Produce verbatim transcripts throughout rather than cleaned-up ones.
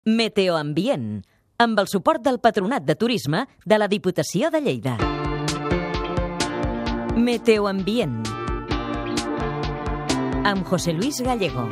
Meteoambient, amb el suport del Patronat de Turisme de la Diputació de Lleida. Meteoambient, amb José Luis Gallego.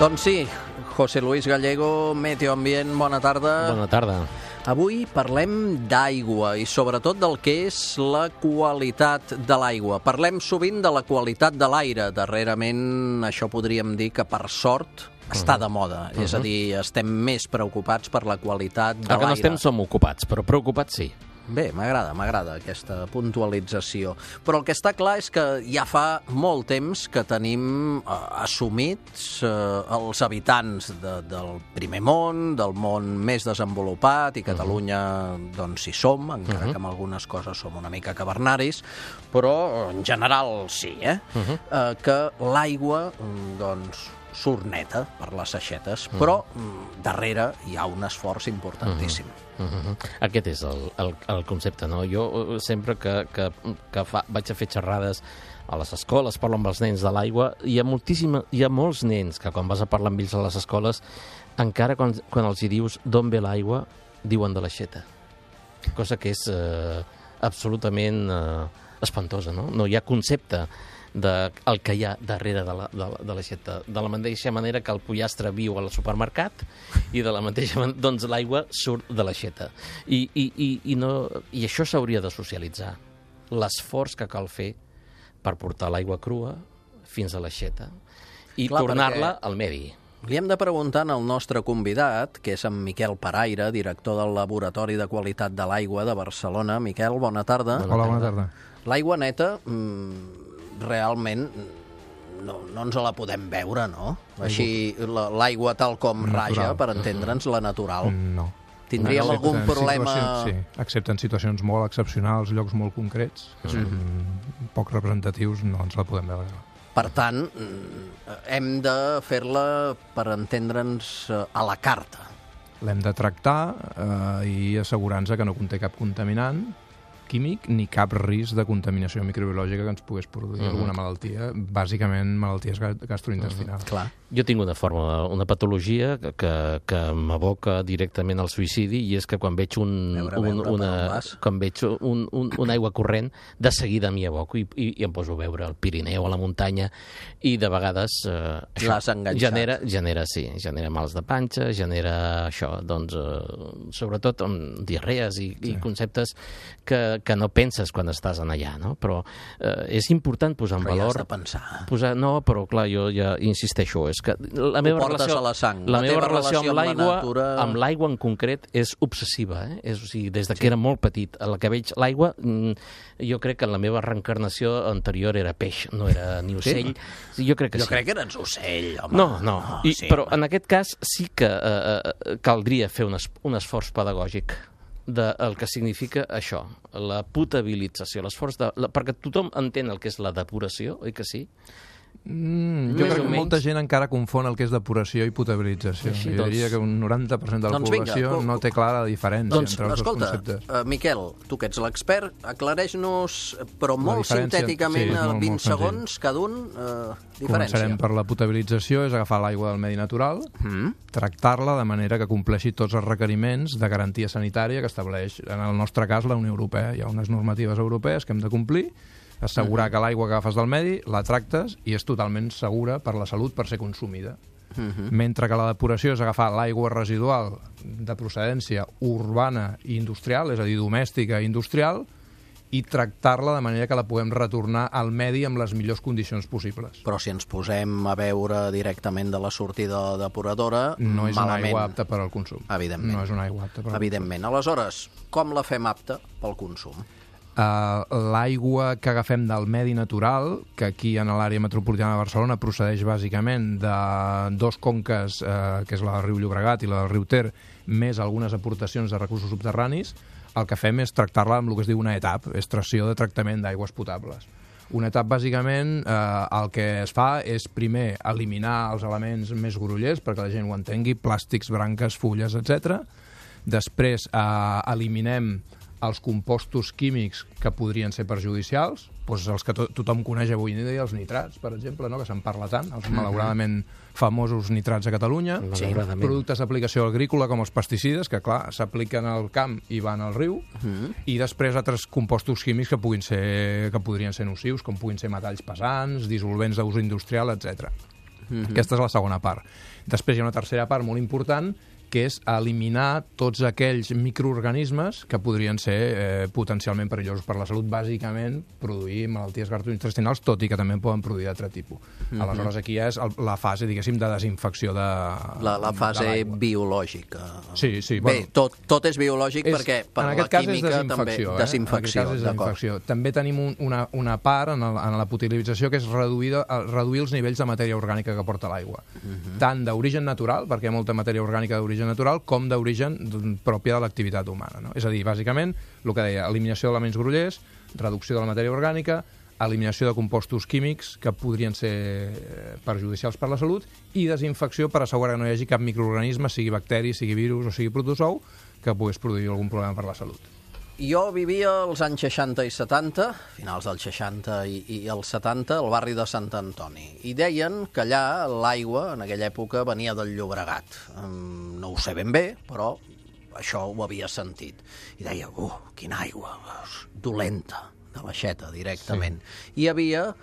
Doncs sí, José Luis Gallego, Meteoambient, bona tarda. Bona tarda. Avui parlem d'aigua i sobretot del que és la qualitat de l'aigua. Parlem sovint de la qualitat de l'aire. Darrerament això podríem dir que per sort està de moda. Uh -huh. És a dir, estem més preocupats per la qualitat de l'aire. El que no estem som ocupats, però preocupats sí. Bé, m'agrada, m'agrada aquesta puntualització. Però el que està clar és que ja fa molt temps que tenim eh, assumits eh, els habitants de, del primer món, del món més desenvolupat, i Catalunya, uh-huh. doncs, hi som, encara uh-huh. que amb algunes coses som una mica cavernaris, però en general sí, eh? Uh-huh. eh que l'aigua, doncs, surt neta per les aixetes, uh-huh. però darrere hi ha un esforç importantíssim. Uh-huh. Uh-huh. Aquest és el, el, el concepte, no? Jo sempre que, que, que fa, vaig a fer xerrades a les escoles, parlo amb els nens de l'aigua, hi ha moltíssima, hi ha molts nens que quan vas a parlar amb ells a les escoles, encara quan, quan els hi dius d'on ve l'aigua, diuen de l'aixeta. Cosa que és eh, absolutament eh, espantosa, no? No hi ha concepte de el que hi ha darrere de la, de, de l'aixeta. De la mateixa manera que el pollastre viu al supermercat i de la mateixa manera, doncs l'aigua surt de l'aixeta. I, i, i, i, no, i això s'hauria de socialitzar. L'esforç que cal fer per portar l'aigua crua fins a l'aixeta i tornar-la al medi. Li hem de preguntar al nostre convidat, que és en Miquel Paraire, director del Laboratori de Qualitat de l'Aigua de Barcelona. Miquel, bona tarda. Bona Hola, bona tarda. L'aigua neta, mmm, realment no, no ens la podem veure, no? Així, l'aigua tal com natural. Raja, per entendre'ns, la natural. No. Tindríem no, algun problema... Sí, excepte en situacions molt excepcionals, llocs molt concrets, que són mm. poc representatius, no ens la podem veure. Per tant, hem de fer-la, per entendre'ns, a la carta. L'hem de tractar eh, i assegurar-nos que no conté cap contaminant químic ni cap risc de contaminació microbiològica que ens pogués produir uh-huh. alguna malaltia, bàsicament malalties gastrointestinals. Uh-huh. Clar. Jo tinc una forma, una patologia que, que, que m'aboca directament al suïcidi, i és que quan veig un, veure, un, veure, una, quan veig un, un, una aigua corrent, de seguida m'hi aboco i, i, i em poso a veure el Pirineu, a la muntanya, i de vegades eh, l'has enganxat. Genera, genera, sí, genera mals de panxa, genera això, doncs, eh, sobretot amb diarrees i, sí. i conceptes que, que no penses quan estàs en allà, no? Però eh, és important posar en però valor... Però ja has de pensar. Posar, no, però clar, jo ja insisteixo, és que la meva relació, a la sang. La, la meva relació amb l'aigua, natura... amb l'aigua en concret, és obsessiva, eh? És, o sigui, des de sí. que era molt petit, a la que veig l'aigua, jo crec que en la meva reencarnació anterior era peix, no era ni ocell. Sí? Jo crec que jo sí. crec que eres ocell, home. No, no, oh, I, sí, però home. en aquest cas sí que eh, caldria fer un, es, un esforç pedagògic del que significa això, la potabilització, l'esforç de... La, perquè tothom entén el que és la depuració, oi que sí? Mm, jo crec que molta gent encara confon el que és depuració i potabilització. Així, jo doncs... diria que un noranta per cent de la doncs població vinga, no té clara la diferència doncs, entre els escolta, dos conceptes. Uh, Miquel, tu que ets l'expert, aclareix-nos, però molt sintèticament, sí, molt, vint molt segons cada un, uh, diferència. Començarem per la potabilització, és agafar l'aigua del medi natural, mm. tractar-la de manera que compleixi tots els requeriments de garantia sanitària que estableix, en el nostre cas, la Unió Europea. Hi ha unes normatives europees que hem de complir, assegurar uh-huh. que l'aigua que agafes del medi la tractes i és totalment segura per la salut per ser consumida. Uh-huh. Mentre que la depuració és agafar l'aigua residual de procedència urbana i industrial, és a dir, domèstica i industrial, i tractar-la de manera que la puguem retornar al medi amb les millors condicions possibles. Però si ens posem a veure directament de la sortida depuradora, no és malament. una aigua apta per al consum. Evidentment. No és una aigua apta per al Evidentment. consum. Aleshores, com la fem apta pel consum? Uh, l'aigua que agafem del medi natural, que aquí en l'àrea metropolitana de Barcelona procedeix bàsicament de dos conques, uh, que és la del riu Llobregat i la del riu Ter, més algunes aportacions de recursos subterranis, el que fem és tractar-la amb el que es diu una E T A P, extracció de tractament d'aigües potables. Una E T A P, bàsicament, eh, el que es fa és primer eliminar els elements més grollers, perquè la gent ho entengui, plàstics, branques, fulles, etcètera. Després eh, eliminem els compostos químics que podrien ser perjudicials, doncs els que to tothom coneix avui en dia, els nitrats, per exemple, no? Que se'n parla tant, els malauradament famosos nitrats a Catalunya, Sí. productes d'aplicació agrícola com els pesticides, que clar, s'apliquen al camp i van al riu, i després altres compostos químics que puguin ser que podrien ser nocius, com puguin ser metalls pesants, dissolvents d'ús industrial, etcètera. Aquesta és la segona part. Després hi ha una tercera part molt important, que és eliminar tots aquells microorganismes que podrien ser eh, potencialment perillosos per la salut, bàsicament produir malalties gastrointestinals, tot i que també en poden produir d'altre tipus. Mm -hmm. Aleshores, aquí ja és el, la fase, diguéssim, de desinfecció de La, la fase de biològica. Sí, sí. Bé, Bueno, tot, tot és biològic és, perquè per en la aquest cas química és també... desinfecció, eh? Desinfecció, En aquest cas és desinfecció. També tenim un, una, una part en, el, en la potabilització que és reduir, reduir els nivells de matèria orgànica que porta l'aigua. Uh -huh. Tant d'origen natural, perquè hi ha molta matèria orgànica d'origen natural, com d'origen pròpia de l'activitat humana. No? És a dir, bàsicament, el que deia, eliminació d'elements grollers, reducció de la matèria orgànica, eliminació de compostos químics que podrien ser perjudicials per la salut i desinfecció per assegurar que no hi hagi cap microorganisme, sigui bacteri, sigui virus o sigui protozou, que pogués produir algun problema per la salut. Jo vivia als anys seixanta i setanta, finals dels seixanta i, i els setanta, al barri de Sant Antoni. I deien que allà l'aigua, en aquella època, venia del Llobregat. Um, no ho sé ben bé, però això ho havia sentit. I deia, uh, quina aigua, dolenta, de l'aixeta, directament. Sí. I hi havia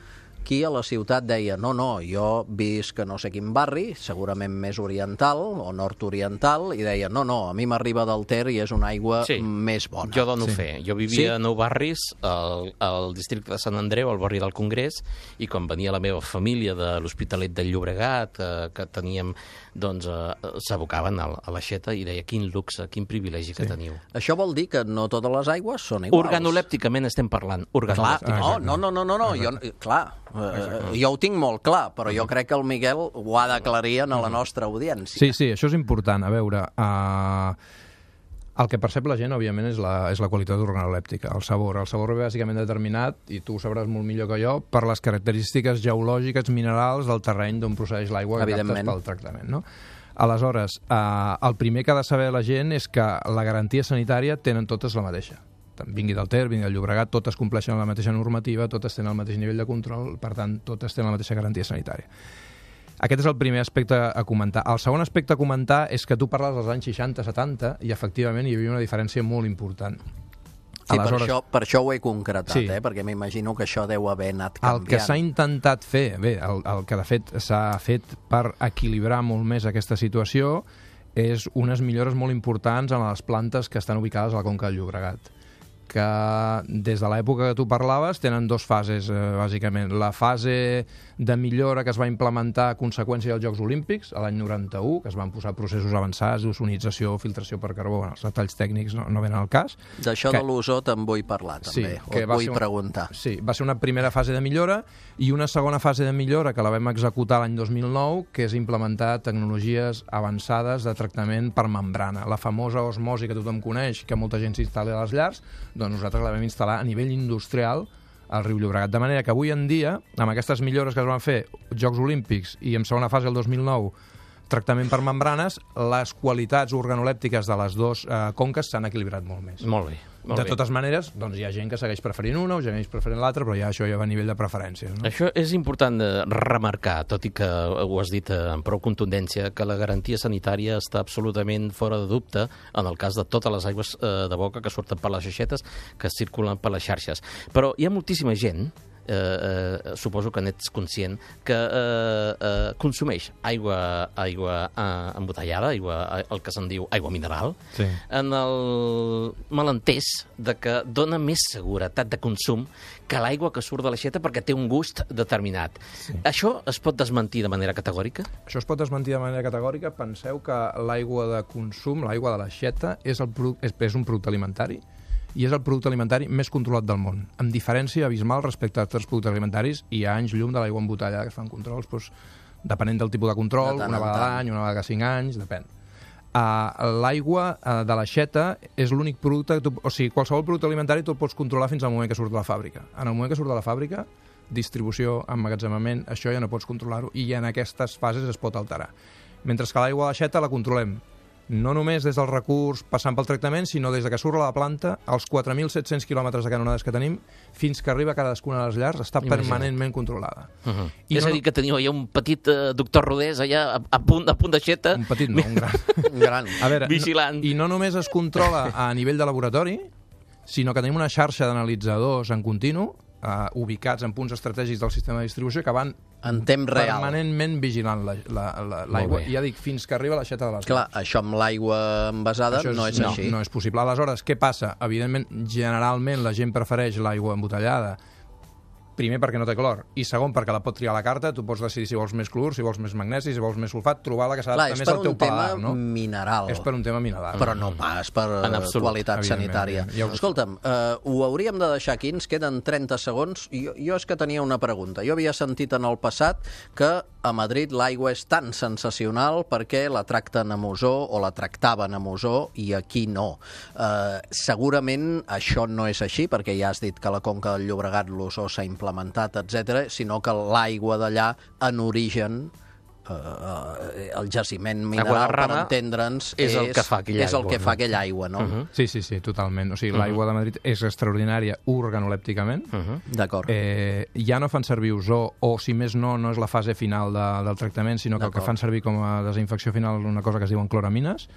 qui a la ciutat deia, no, no, jo visc a no sé quin barri, segurament més oriental o nord-oriental, i deia, no, no, a mi m'arriba del Ter i és una aigua sí. més bona. Jo dono Sí. fe. Jo vivia Sí? a Nou Barris, al, al districte de Sant Andreu, al barri del Congrés, i quan venia la meva família de l'Hospitalet del Llobregat, eh, que teníem, doncs, eh, s'abocaven a, a l'aixeta i deia, quin luxe, quin privilegi sí. que teniu. Això vol dir que no totes les aigües són iguals. Organolèpticament estem parlant. Clar, Organolèpticament. no, no, no, no, no, jo, clar, eh, jo ho tinc molt clar, però jo crec que el Miguel ho ha d'aclarir a la nostra audiència. Sí, sí, això és important. A veure, uh, el que percep la gent, òbviament, és la, és la qualitat organolèptica, el sabor. El sabor ve bàsicament determinat, i tu ho sabràs molt millor que jo, per les característiques geològiques, minerals del terreny d'on procedeix l'aigua que captes pel tractament, no? Aleshores, uh, el primer que ha de saber la gent és que la garantia sanitària tenen totes la mateixa. Vingui del Ter, vingui del Llobregat, totes compleixen la mateixa normativa, totes tenen el mateix nivell de control, per tant, totes tenen la mateixa garantia sanitària. Aquest és el primer aspecte a comentar. El segon aspecte a comentar és que tu parles dels anys seixanta setanta i, efectivament, hi havia una diferència molt important. Sí, Aleshores, per, això, per això ho he concretat, sí. eh? Perquè m'imagino que això deu haver anat canviant. El que s'ha intentat fer, bé, el, el que de fet s'ha fet per equilibrar molt més aquesta situació és unes millores molt importants en les plantes que estan ubicades a la Conca del Llobregat, que des de l'època que tu parlaves tenen dues fases, eh, bàsicament. La fase de millora que es va implementar a conseqüència dels Jocs Olímpics, a l'any noranta-u, que es van posar processos avançats d'ozonització, filtració per carbó, bueno, els detalls tècnics no, no venen al cas. D'això que... de l'ozó te'n vull parlar, també, sí, o et vull un... preguntar. Sí, va ser una primera fase de millora i una segona fase de millora que la vam executar l'any dos mil nou, que és implementar tecnologies avançades de tractament per membrana. La famosa osmosi que tothom coneix, que molta gent s'instal·la a les llars, doncs nosaltres la vam instal·lar a nivell industrial al riu Llobregat. De manera que avui en dia, amb aquestes millores que es van fer, Jocs Olímpics i en segona fase el dos mil nou, tractament per membranes, les qualitats organolèptiques de les dues eh, conques s'han equilibrat molt més. Molt bé. Molt de bé. totes maneres, doncs hi ha gent que segueix preferint una o segueix preferint l'altra, però ja això ja va a nivell de preferències. No? Això és important de remarcar, tot i que ho has dit amb prou contundència, que la garantia sanitària està absolutament fora de dubte en el cas de totes les aigües eh, de boca que surten per les aixetes, que circulen per les xarxes. Però hi ha moltíssima gent, eh, eh, suposo que n'ets conscient, que eh, eh, consumeix aigua, aigua eh, embotellada, aigua, el que se'n diu aigua mineral, Sí. en el malentès de que dona més seguretat de consum que l'aigua que surt de l'aixeta perquè té un gust determinat. Sí. Això es pot desmentir de manera categòrica? Això es pot desmentir de manera categòrica. Penseu que l'aigua de consum, l'aigua de l'aixeta, és, el produ- és, és un producte alimentari i és el producte alimentari més controlat del món, amb diferència abismal respecte a altres productes alimentaris, i hi ha anys llum de l'aigua embotellada que es fan controls, doncs, depenent del tipus de control, De tant una en vegada tant. l'any, una vegada cada cinc anys, depèn. Uh, l'aigua uh, de l'aixeta és l'únic producte que tu, o sigui, qualsevol producte alimentari tu el pots controlar fins al moment que surt de la fàbrica. En el moment que surt de la fàbrica, distribució, emmagatzemament, això ja no pots controlar-ho, i en aquestes fases es pot alterar. Mentre que l'aigua de l'aixeta la controlem no només des del recurs passant pel tractament, sinó des de que surt a la planta, els quatre mil set-cents quilòmetres de canonades que tenim, fins que arriba a cadascuna de les llars, està Imagina't. permanentment controlada. Uh -huh. I és no, a dir, que teniu allà un petit uh, doctor Rodés allà a, a, punt, a punt d'aixeta. Un petit no, un gran. Un gran. A veure, Vigilant. No, i no només es controla a nivell de laboratori, sinó que tenim una xarxa d'analitzadors en continu, uh, ubicats en punts estratègics del sistema de distribució, que van En temps real. permanentment vigilant l'aigua. La, la, la, I ja dic, fins que arriba a l'aixeta de les Clar, això amb l'aigua envasada Això és, no és no, així. No és possible. Aleshores, què passa? Evidentment, generalment la gent prefereix l'aigua embotellada, primer perquè no té clor, i segon perquè la pot triar a la carta, tu pots decidir si vols més clor, si vols més magnesi, si vols més sulfat, trobar la que s'adapta més al teu paladar, no? És per un tema mineral. És per un tema mineral. Però no pas per En absolut, qualitat sanitària. Ja ho... Escolta'm, uh, ho hauríem de deixar aquí, ens queden trenta segons. Jo, jo és que tenia una pregunta. Jo havia sentit en el passat que a Madrid l'aigua és tan sensacional perquè la tracten amb ozó o la tractaven amb ozó i aquí no. Uh, segurament això no és així, perquè ja has dit que a la Conca del Llobregat l'ozó s'ha implementat, etcètera, sinó que l'aigua d'allà, en origen, uh, uh, el jaciment mineral, per entendre'ns, és el que fa aquella és el aigua, que no? fa aquella aigua, no? Uh -huh. Sí, sí, sí, totalment. O sigui, Uh-huh. l'aigua de Madrid és extraordinària organolèpticament. Uh -huh. D'acord. Eh, ja no fan servir ozó, o si més no, no és la fase final de, del tractament, sinó que el que fan servir com a desinfecció final és una cosa que es diuen cloramines.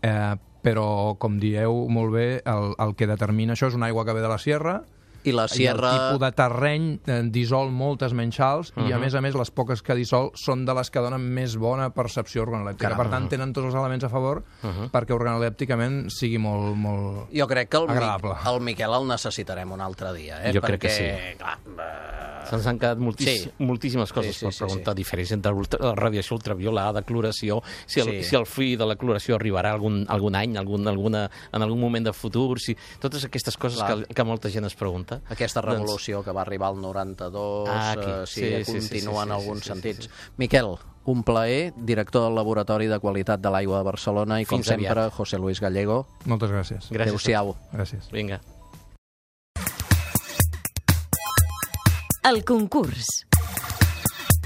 Eh, però, com dieu molt bé, el, el que determina això és una aigua que ve de la sierra, I la sierra... i el tipus de terreny eh, dissol moltes menys sals, uh -huh. i a Uh-huh. més a més les poques que dissol són de les que donen més bona percepció organolèptica. Caram. Per tant, tenen tots els elements a favor Uh -huh. perquè organolèpticament sigui molt, molt Jo crec que el, Mi agradable. el Miquel el necessitarem un altre dia, eh? Jo Perquè, crec que sí. Clar, eh, Se'ns han quedat moltíssim, Sí. moltíssimes coses Sí, sí, per sí, preguntar, sí. diferents entre ultra, la radiació ultraviolada, cloració, si el, Sí. si el fi de la cloració arribarà algun, algun any, algun, alguna, en algun moment de futur, si, totes aquestes coses Clar. que, que molta gent es pregunta. aquesta revolució doncs... que va arribar al noranta-dos, Ah, aquí. eh, sí, Sí, sí, sí, continua sí, sí, en sí, alguns sí, sí, sentits. sí, sí. Miquel, un plaer, director del Laboratori de Qualitat de l'Aigua de Barcelona, i com Fins sempre, aviat. José Luis Gallego. Moltes gràcies. Gràcies. Adéu-siau. Gràcies. Vinga. El concurs.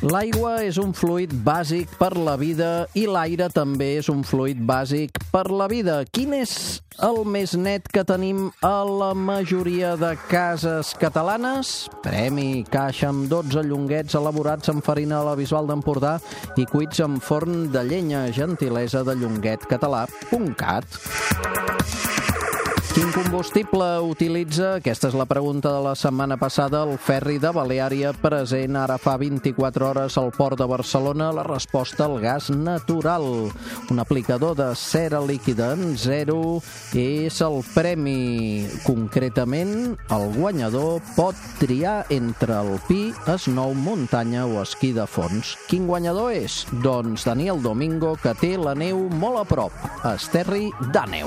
L'aigua és un fluid bàsic per la vida i l'aire també és un fluid bàsic per la vida. Quin és el més net que tenim a la majoria de cases catalanes? Premi caixa amb dotze llonguets elaborats amb farina de la Bisbal d'Empordà i cuits amb forn de llenya, gentilesa de llonguetcatalà punt cat. Quin combustible utilitza? Aquesta és la pregunta de la setmana passada. El ferri de Baleària, present ara fa vint-i-quatre hores al port de Barcelona. La resposta, el gas natural. Un aplicador de cera líquida en zero és el premi. Concretament, el guanyador pot triar entre alpí, snow, muntanya o esquí de fons. Quin guanyador és? Doncs Daniel Domingo, que té la neu molt a prop. Esterri d'Àneu.